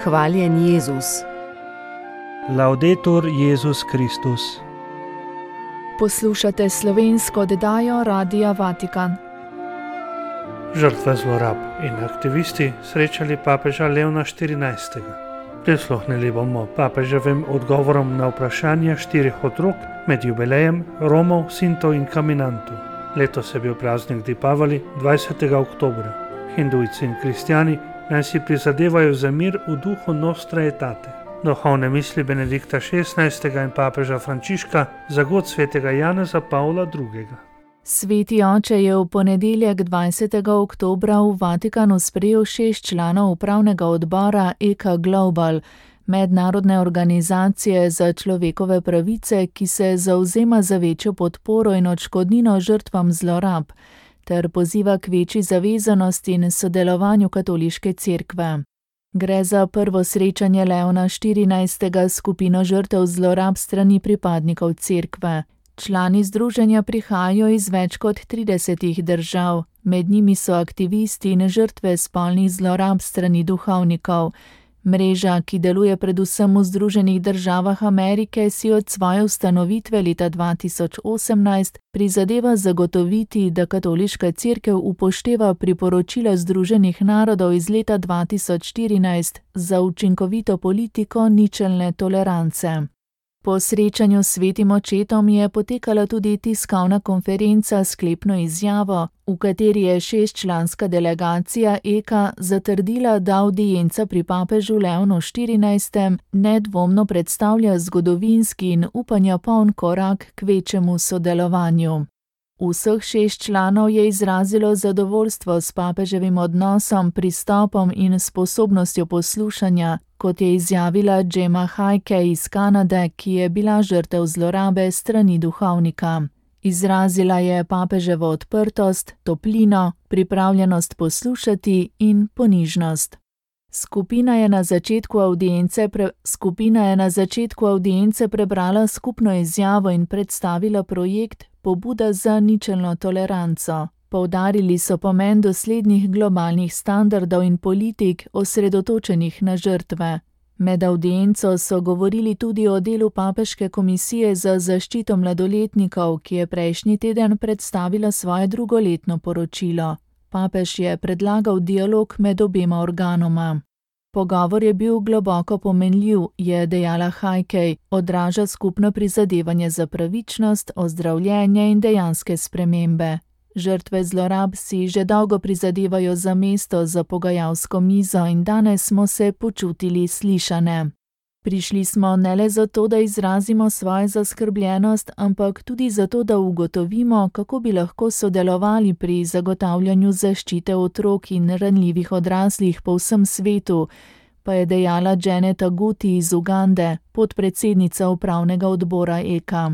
Hvaljen Jezus. Laudetur Jezus Kristus. Poslušate slovensko oddajo Radia Vatikan. Žrtve zlorab in aktivisti srečali papeža Leona XIV. Prisluhnili bomo papeževim odgovorom na vprašanja 4 otrok med jubilejem Romov, Sinto in Caminantu. Letos je bil praznik Dipavali 20. oktobra. Hindujci in kristjani naj si prizadevajo za mir v duhu Nostra Aetate. Duhovne misli Benedikta XVI. In papeža Frančiška za god svetega Janeza Pavla II. Sveti oče je v ponedeljek 20. oktobra v Vatikanu sprejel 6 članov upravnega odbora ECA Global, mednarodne organizacije za človekove pravice, ki se zavzema za večjo podporo in odškodnino žrtvam zlorab, ter poziva k večji zavezanosti in sodelovanju katoliške cerkve. Gre za prvo srečanje Leona XIV. S skupino žrtev zlorab strani pripadnikov cerkve. Člani združenja prihajajo iz več kot 30 držav, med njimi so aktivisti in žrtve spolnih zlorab strani duhovnikov. Mreža, ki deluje predvsem v Združenih državah Amerike, si od svoje ustanovitve leta 2018 prizadeva zagotoviti, da katoliška cerkev upošteva priporočila Združenih narodov iz leta 2014 za učinkovito politiko ničelne tolerance. Po srečanju s svetim očetom je potekala tudi tiskovna konferenca s sklepno izjavo, v kateri je 6-članska delegacija ECA zatrdila, da avdienca pri papežu Leonu XIV. Nedvomno predstavlja zgodovinski in upanja poln korak k večjemu sodelovanju. Vseh 6 članov je izrazilo zadovoljstvo s papeževim odnosom, pristopom in sposobnostjo poslušanja, kot je izjavila Gemma Heike iz Kanade, ki je bila žrtev zlorabe strani duhovnika. Izrazila je papeževo odprtost, toplino, pripravljenost poslušati in ponižnost. Skupina je na začetku avdience prebrala skupno izjavo in predstavila projekt Pobuda za ničelno toleranco. Poudarili so pomen doslednih globalnih standardov in politik, osredotočenih na žrtve. Med avdienco so govorili tudi o delu Papeške komisije za zaščito mladoletnikov, ki je prejšnji teden predstavila svoje drugoletno poročilo. Papež je predlagal dialog med obema organoma. Pogovor je bil globoko pomenljiv, je dejala Heike, odraža skupno prizadevanje za pravičnost, ozdravljenje in dejanske spremembe. Žrtve zlorab si že dolgo prizadevajo za mesto za pogajalsko mizo in danes smo se počutili slišane. Prišli smo ne le zato, da izrazimo svojo zaskrbljenost, ampak tudi zato, da ugotovimo, kako bi lahko sodelovali pri zagotavljanju zaščite otrok in ranljivih odraslih po vsem svetu, pa je dejala Janet Aguti iz Ugande, podpredsednica upravnega odbora ECA.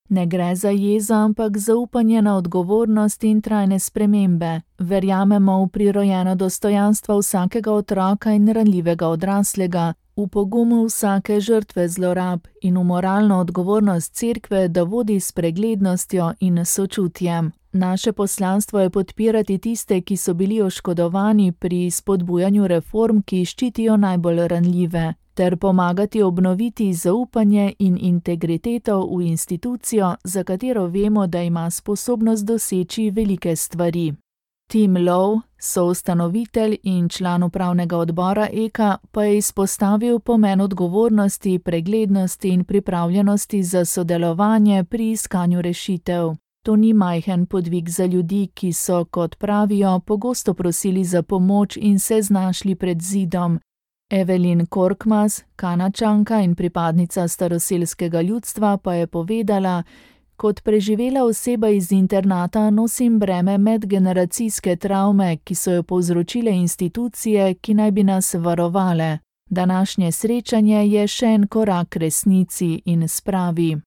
Ne gre za jezo, ampak zaupanje na odgovornost in trajne spremembe. Verjamemo v prirojeno dostojanstvo vsakega otroka in ranljivega odraslega, v pogumu vsake žrtve zlorab in v moralno odgovornost cerkve, da vodi s preglednostjo in sočutjem. Naše poslanstvo je podpirati tiste, ki so bili oškodovani pri spodbujanju reform, ki ščitijo najbolj ranljive, ter pomagati obnoviti zaupanje in integriteto v institucijo, za katero vemo, da ima sposobnost doseči velike stvari. Tim Lowe, soustanovitelj in član upravnega odbora ECA, pa je izpostavil pomen odgovornosti, preglednosti in pripravljenosti za sodelovanje pri iskanju rešitev. To ni majhen podvig za ljudi, ki so, kot pravijo, pogosto prosili za pomoč in se znašli pred zidom. Evelyn Korkmaz, Kanačanka in pripadnica staroselskega ljudstva, pa je povedala: kot preživela oseba iz internata nosim breme medgeneracijske travme, ki so jo povzročile institucije, ki naj bi nas varovale. Današnje srečanje je še en korak k resnici in spravi.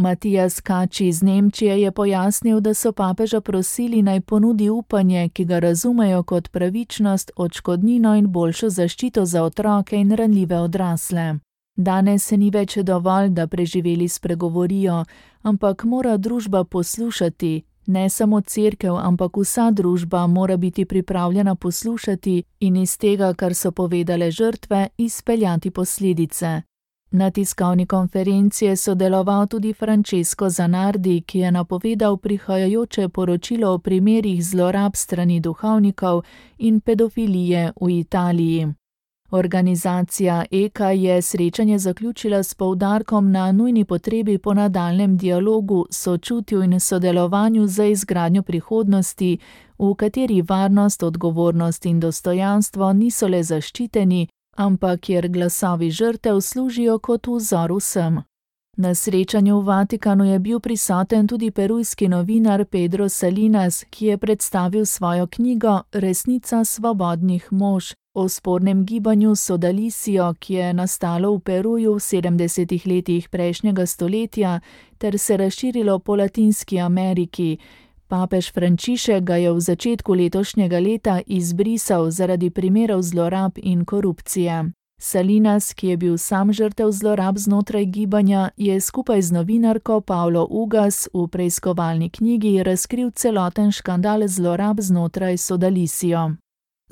Matijas Kači iz Nemčije je pojasnil, da so papeža prosili naj ponudi upanje, ki ga razumejo kot pravičnost, odškodnino in boljšo zaščito za otroke in ranljive odrasle. Danes se ni več dovolj, da preživeli spregovorijo, ampak mora družba poslušati, Ne samo cerkev, ampak vsa družba mora biti pripravljena poslušati in iz tega, kar so povedale žrtve, izpeljati posledice. Na tiskovni konferenci je sodeloval tudi Francesco Zanardi, ki je napovedal prihajajoče poročilo o primerih zlorab strani duhovnikov in pedofilije v Italiji. Organizacija EKA je srečanje zaključila s poudarkom na nujni potrebi po nadaljnjem dialogu, sočutju in sodelovanju za izgradnjo prihodnosti, v kateri varnost, odgovornost in dostojanstvo niso le zaščiteni, ampak kjer glasovi žrtev služijo kot vzor vsem. Na srečanju v Vatikanu je bil prisoten tudi perujski novinar Pedro Salinas, ki je predstavil svojo knjigo Resnica svobodnih mož o spornem gibanju Sodalisijo, ki je nastalo v Peruju v 70. letih prejšnjega stoletja ter se razširilo po Latinski Ameriki. Papež Frančišek ga je v začetku letošnjega leta izbrisal zaradi primerov zlorab in korupcije. Salinas, ki je bil sam žrtev zlorab znotraj gibanja, je skupaj z novinarko Paulo Ugas v preiskovalni knjigi razkril celoten škandal zlorab znotraj Sodalisijo.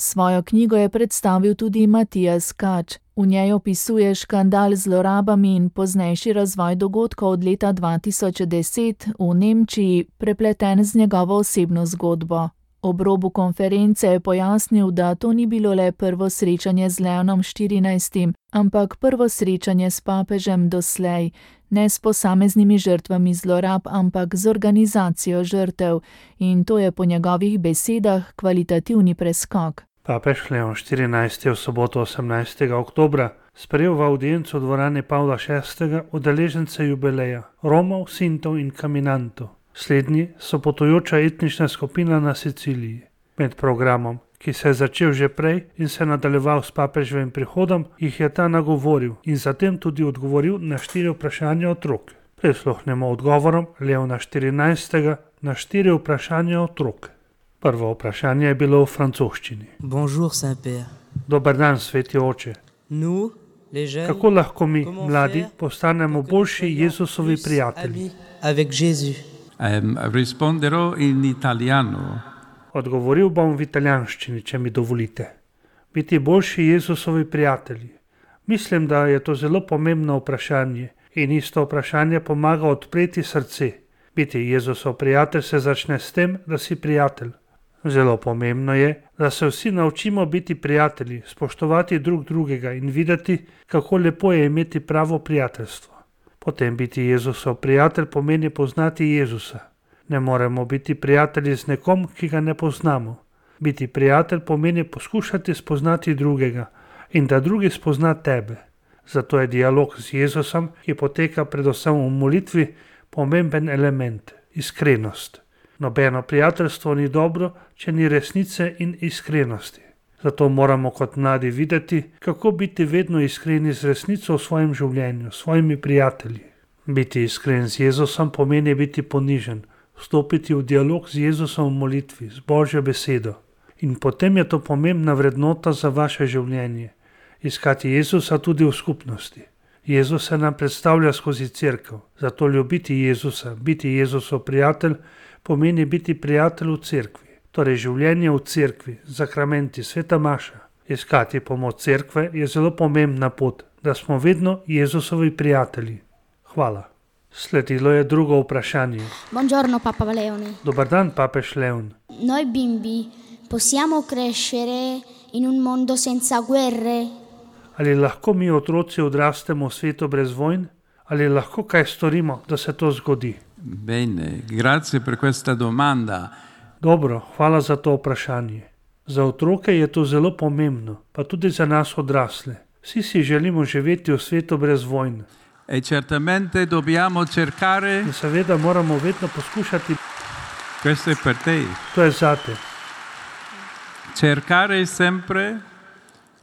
Svojo knjigo je predstavil tudi Matijas Kač. V njej opisuje škandal z zlorabami in poznejši razvoj dogodkov od leta 2010 v Nemčiji, prepleten z njegovo osebno zgodbo. Ob robu konference je pojasnil, da to ni bilo le prvo srečanje z Leonom XIV, ampak prvo srečanje s papežem doslej, ne s posameznimi žrtvami zlorab, ampak z organizacijo žrtev, in to je po njegovih besedah kvalitativni preskok. Papež Leon XIV je v soboto 18. oktobra sprejel v audiencu v dvorani Pavla VI. Udeležence jubileja Romov, Sintov in Caminantov. Slednji so potujoča etnična skupina na Siciliji. Med programom, ki se je začel že prej in se nadaljeval s papeževim prihodom, jih je ta nagovoril in zatem tudi odgovoril na 4 vprašanja otrok. Prisluhnemo odgovorom Leona XIV. Na 4 vprašanja otrok. Prvo vprašanje je bilo v francoščini. Bonjour, Saint-Père. Dober dan, sveti oče. Nous, les jeunes, Kako lahko mi, comment mladi, faire postanemo pour que nous boljši soyons Jezusovi plus prijatelji? amis avec Jésus. Risponderò in italiano. Odgovoril bom v italijanščini, če mi dovolite. Biti boljši Jezusovi prijatelji. Mislim, da je to zelo pomembno vprašanje in isto vprašanje pomaga odpreti srce. Biti Jezusov prijatelj se začne s tem, da si prijatelj. Zelo pomembno je, da se vsi naučimo biti prijatelji, spoštovati drug drugega in videti, kako lepo je imeti pravo prijateljstvo. Potem biti Jezusov prijatelj pomeni poznati Jezusa. Ne moremo biti prijatelji z nekom, ki ga ne poznamo. Biti prijatelj pomeni poskušati spoznati drugega in da drugi spozna tebe. Zato je dialog z Jezusom, ki poteka predvsem v molitvi, pomemben element, iskrenost. Nobeno prijateljstvo ni dobro, če ni resnice in iskrenosti. Zato moramo kot mladi videti, kako biti vedno iskreni z resnico v svojem življenju, s svojimi prijatelji. Biti iskren z Jezusom pomeni biti ponižen, vstopiti v dialog z Jezusom v molitvi, z Božjo besedo. In potem je to pomembna vrednota za vaše življenje. Iskati Jezusa tudi v skupnosti. Jezus se nam predstavlja skozi cerkev, zato ljubiti Jezusa, biti Jezusov prijatelj, pomeni biti prijatelj v cerkvi. Torej življenje v cerkvi, zakramenti, sveta maša. Iskati pomoč cerkve je zelo pomembna pot, da smo vedno Jezusovi prijatelji. Hvala. Sledilo je drugo vprašanje. Buongiorno Papa Leone. Dobar dan, papež Leon. Noi bimbi possiamo crescere in un mondo senza guerre? Ali lahko mi otroci odrastemo v svetu brez vojn? Ali lahko kaj storimo, da se to zgodi? Bene, grazie per questa domanda. Dobro, hvala za to vprašanje. Za otroke je to zelo pomembno, pa tudi za nas odrasle. Vsi si želimo živeti v svetu brez vojn. E certamente dobbiamo cercare, In seveda moramo vedno poskušati, questo è per te, to je zate, cercare sempre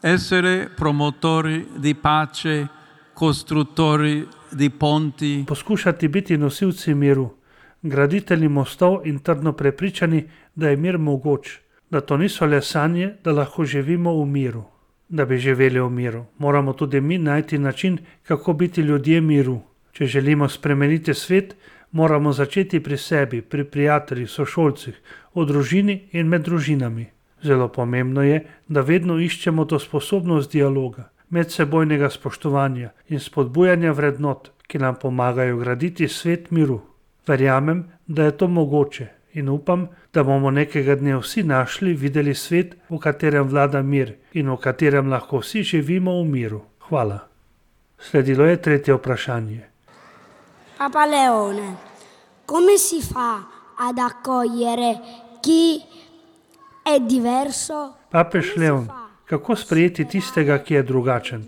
essere promotori di pace, costruttori di ponti, poskušati biti nosilci miru, graditelji mostov in trdno prepričani, da je mir mogoč, da to niso le sanje, da lahko živimo v miru. Da bi živeli v miru, moramo tudi mi najti način, kako biti ljudje miru. Če želimo spremeniti svet, Moramo začeti pri sebi, pri prijateljih, sošolcih, v družini in med družinami. Zelo pomembno je, da vedno iščemo to sposobnost dialoga, medsebojnega spoštovanja in spodbujanja vrednot, ki nam pomagajo graditi svet miru. Verjamem, da je to mogoče in upam, da bomo nekega dne vsi našli, videli svet, v katerem vlada mir in v katerem lahko vsi živimo v miru. Hvala. Sledilo je tretje vprašanje. Papa Leone, come si fa ad accogliere chi è diverso? Papež Leon, kako sprejeti tistega, ki je drugačen?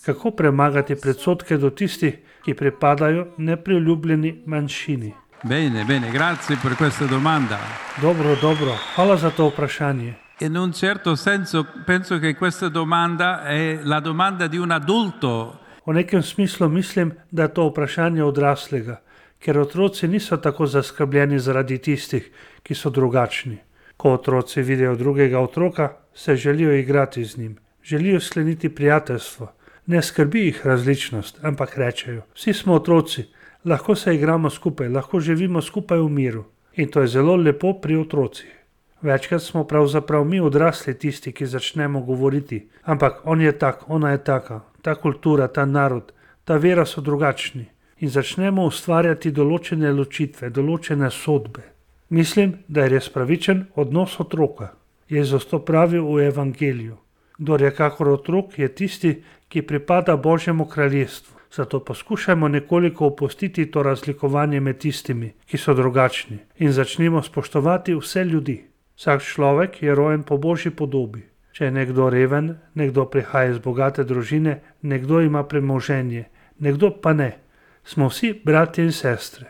Kako premagati predsodke do tistih, ki pripadajo nepriljubljeni manjšini? Bene, grazie per questa domanda. Dobro, hvala za to vprašanje. In un certo senso penso che questa domanda è la domanda di un adulto. V nekem smislu mislim, da je to vprašanje odraslega, ker otroci niso tako zaskrbljeni zaradi tistih, ki so drugačni. Ko otroci vidijo drugega otroka, se želijo igrati z njim, želijo skleniti prijateljstvo. Ne skrbi jih različnost, ampak rečejo, vsi smo otroci, lahko se igramo skupaj, lahko živimo skupaj v miru. In to je zelo lepo pri otrocih. Večkrat smo pravzaprav mi odrasli tisti, ki začnemo govoriti, ampak on je tak, ona je taka, ta kultura, ta narod, ta vera so drugačni. In začnemo ustvarjati določene ločitve, določene sodbe. Mislim, da je res pravičen odnos otroka. Jezus to pravi v Evangeliju. Kdor je kakor otrok, je tisti, ki pripada Božjemu kraljestvu. Zato poskušajmo nekoliko opustiti to razlikovanje med tistimi, ki so drugačni, in začnimo spoštovati vse ljudi. Vsak človek je rojen po Božji podobi. Če je nekdo reven, nekdo prihaja iz bogate družine, nekdo ima premoženje, nekdo pa ne. Smo vsi bratje in sestre.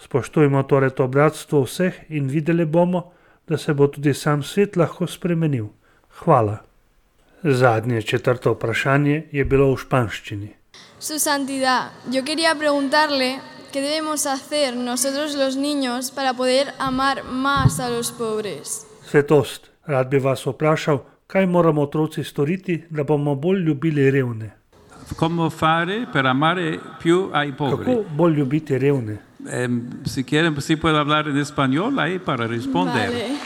Spoštujmo torej to bratstvo vseh in videli bomo, da se bo tudi sam svet lahko spremenil. Hvala. Zadnje, četrto vprašanje je bilo v španščini. Su santidad, yo quería preguntarle qué debemos hacer nosotros los niños para poder amar más a los pobres. Svetost, rad bi vas vprašal, kaj moramo otroci storiti, da bomo bolj ljubili revne. Come fare per amare più ai pobri? Kako bolj ljubiti revne? Si quieren, si puedo hablar en español ahí para responder. Vale.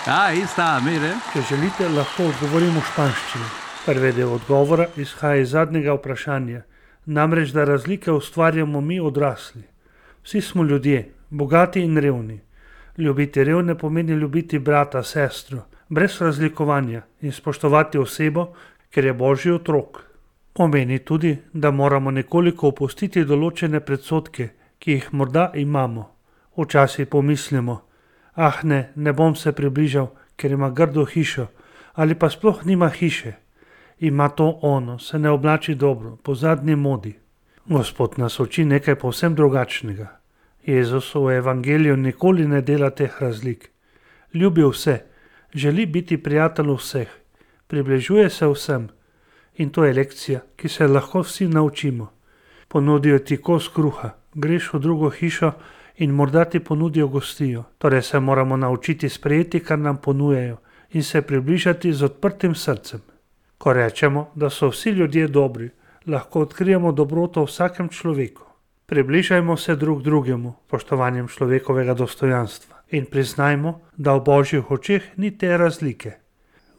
Ahí está, mire. Če želite, lahko odgovorim v španščini. Prvi del odgovora izhaja iz zadnjega vprašanja, namreč da razlike ustvarjamo mi odrasli. Vsi smo ljudje, bogati in revni. Ljubiti revne pomeni ljubiti brata, sestro, brez razlikovanja in spoštovati osebo, ker je Božji otrok. Pomeni tudi, da moramo nekoliko opustiti določene predsodke, ki jih morda imamo. Včasih pomislimo, ne bom se približal, ker ima grdo hišo, ali pa sploh nima hiše. Ima to ono, se ne oblači dobro, po zadnji modi. Gospod nas uči nekaj povsem drugačnega. Jezus v Evangeliju nikoli ne dela teh razlik. Ljubi vse, želi biti prijatelj vseh, približuje se vsem. In to je lekcija, ki se lahko vsi naučimo. Ponudijo ti kos kruha, greš v drugo hišo in morda ti ponudijo gostijo. Torej se moramo naučiti sprejeti, kar nam ponujajo, in se približati z odprtim srcem. Ko rečemo, da so vsi ljudje dobri, lahko odkrijemo dobroto v vsakem človeku. Približajmo se drug drugemu, spoštovanjem človekovega dostojanstva, in priznajmo, da v Božjih očeh ni te razlike.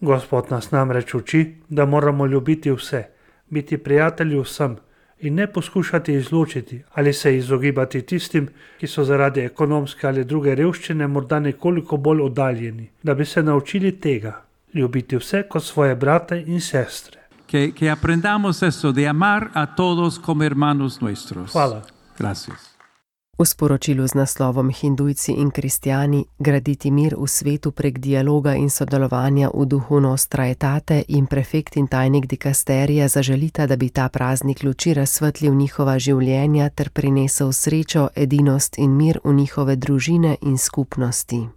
Gospod nas namreč uči, da moramo ljubiti vse, biti prijatelji vsem in ne poskušati izločiti ali se izogibati tistim, ki so zaradi ekonomske ali druge revščine morda nekoliko bolj oddaljeni, da bi se naučili tega, ljubiti vse kot svoje brate in sestre. Que aprendamos eso de amar a todos como hermanos nuestros. Hvala. Gracias. V sporočilu z naslovom Hindujci in kristjani graditi mir v svetu prek dialoga in sodelovanja v duhu Nostra Aetate in prefekt in tajnik dikasterija zaželita, da bi ta praznik luči razsvetlil njihova življenja ter prinesel srečo, edinost in mir v njihove družine in skupnosti.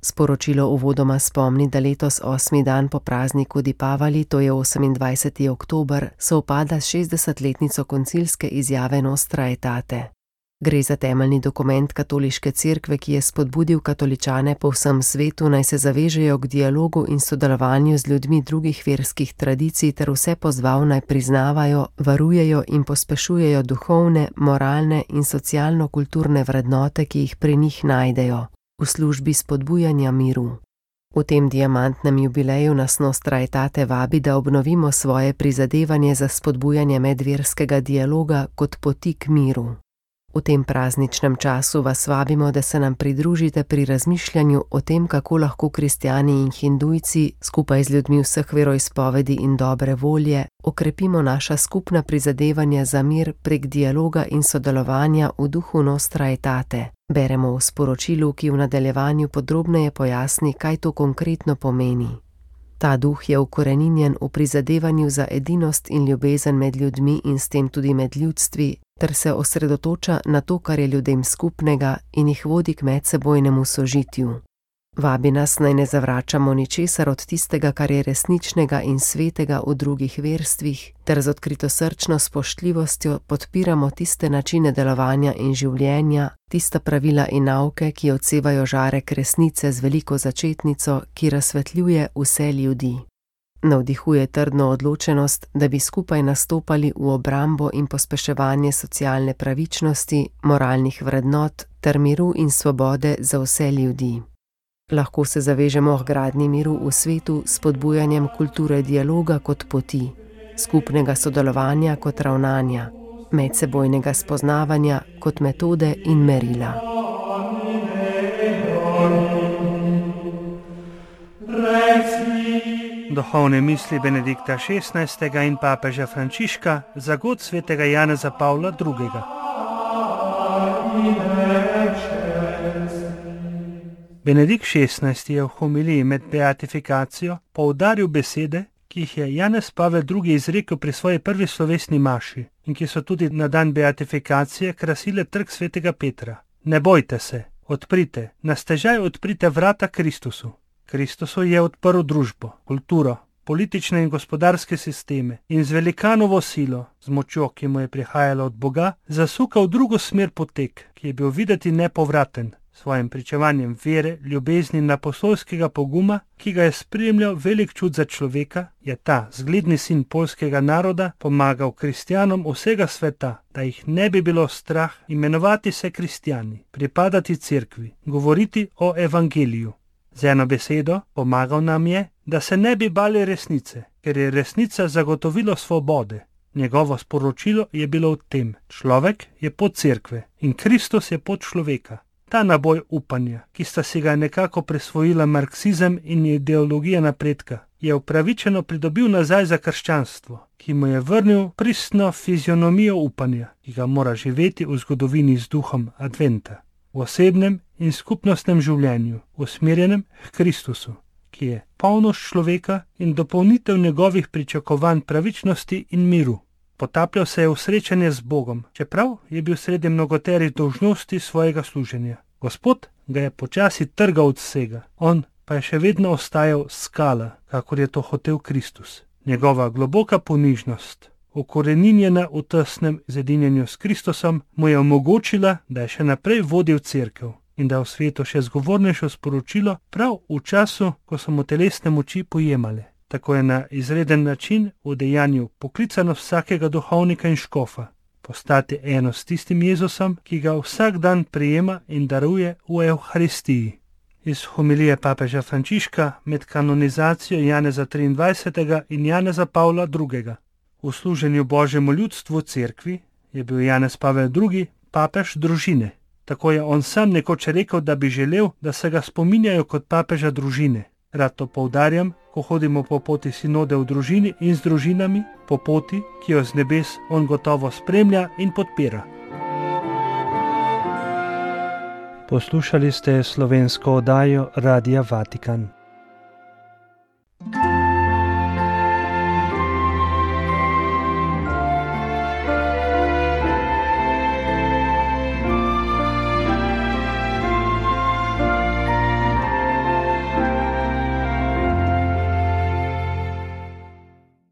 Sporočilo uvodoma spomni, da letos 8. dan po prazniku Dipavali, to je 28. oktober, sovpada s 60-letnico koncilske izjave Nostra Aetate. Gre za temeljni dokument katoliške cerkve, ki je spodbudil katoličane po vsem svetu, naj se zavežejo k dialogu in sodelovanju z ljudmi drugih verskih tradicij ter vse pozval, naj priznavajo, varujejo in pospešujejo duhovne, moralne in socialno-kulturne vrednote, ki jih pri njih najdejo, v službi spodbujanja miru. V tem diamantnem jubileju nas Nostra Aetate vabi, da obnovimo svoje prizadevanje za spodbujanje medverskega dialoga kot poti k miru. V tem prazničnem času vas vabimo, da se nam pridružite pri razmišljanju o tem, kako lahko kristjani in hindujci skupaj z ljudmi vseh veroizpovedi in dobre volje okrepimo naša skupna prizadevanja za mir prek dialoga in sodelovanja v duhu Nostra Aetate. Beremo v sporočilu, ki v nadaljevanju podrobneje pojasni, kaj to konkretno pomeni. Ta duh je ukoreninjen v prizadevanju za edinost in ljubezen med ljudmi in s tem tudi med ljudstvi, ter se osredotoča na to, kar je ljudem skupnega in jih vodi k medsebojnemu sožitju. Vabi nas, naj ne zavračamo ničesar od tistega, kar je resničnega in svetega v drugih verstvih, ter z odkritosrčno spoštljivostjo podpiramo tiste načine delovanja in življenja, tista pravila in nauke, ki odsevajo žarek resnice z veliko začetnico, ki razsvetljuje vse ljudi. Navdihuje trdno odločenost, da bi skupaj nastopali v obrambo in pospeševanje socialne pravičnosti, moralnih vrednot ter miru in svobode za vse ljudi. Lahko se zavežemo k gradnji miru v svetu s spodbujanjem kulture dialoga kot poti, skupnega sodelovanja kot ravnanja, medsebojnega spoznavanja kot metode in merila. Duhovne misli Benedikta XVI. In papeža Frančiška za god svetega Janeza Pavla II. Benedikt XVI. Je v homiliji med beatifikacijo poudaril besede, ki jih je Janez Pavel II. Izrekel pri svoji prvi slovesni maši in ki so tudi na dan beatifikacije krasile trg svetega Petra. Ne bojte se, odprite, na stežaj odprite vrata Kristusu. Kristusu je odprl družbo, kulturo, politične in gospodarske sisteme in z velikanovo silo, z močjo, ki mu je prihajala od Boga, zasukal drugo smer potek, ki je bil videti nepovraten, svojim pričevanjem vere, ljubezni in apostolskega poguma, ki ga je spremljal velik čut za človeka, je ta zgledni sin poljskega naroda pomagal kristjanom vsega sveta, da jih ne bi bilo strah imenovati se kristjani, pripadati cerkvi, govoriti o evangeliju. Z eno besedo, pomagal nam je, da se ne bi bali resnice, ker je resnica zagotovilo svobode. Njegovo sporočilo je bilo v tem: človek je pot cerkve in Kristus je pot človeka. Ta naboj upanja, ki sta si ga nekako prisvojila marksizem in ideologija napredka, je upravičeno pridobil nazaj za krščanstvo, ki mu je vrnil pristno fizionomijo upanja, ki ga mora živeti v zgodovini z duhom adventa, v osebnem in skupnostnem življenju, usmerjenem k Kristusu, ki je polnost človeka in dopolnitev njegovih pričakovanj pravičnosti in miru. Potapljal se je v srečanje z Bogom, čeprav je bil sredi mnogoterih dolžnosti svojega služenja. Gospod ga je počasi trgal od vsega, on pa je še vedno ostajal skala, kakor je to hotel Kristus. Njegova globoka ponižnost, ukoreninjena v tesnem zedinjenju s Kristusom, mu je omogočila, da je še naprej vodil cerkev in da v svetu še zgovornejšo sporočilo prav v času, ko so mu telesne moči pojemale. Tako je na izreden način v dejanju poklicanost vsakega duhovnika in škofa postati eno s tistim Jezusom, ki ga vsak dan prijema in daruje v Evharistiji. Iz homilije papeža Frančiška med kanonizacijo Janeza 23. in Janeza Pavla II. V služenju Božjemu ljudstvu cerkvi je bil Janez Pavel II. Papež družine. Tako je on sam nekoč rekel, da bi želel, da se ga spominjajo kot papeža družine. Rad to poudarjam, ko hodimo po poti sinode v družini in z družinami, po poti, ki jo z nebes on gotovo spremlja in podpira. Poslušali ste slovensko oddajo Radia Vatikan.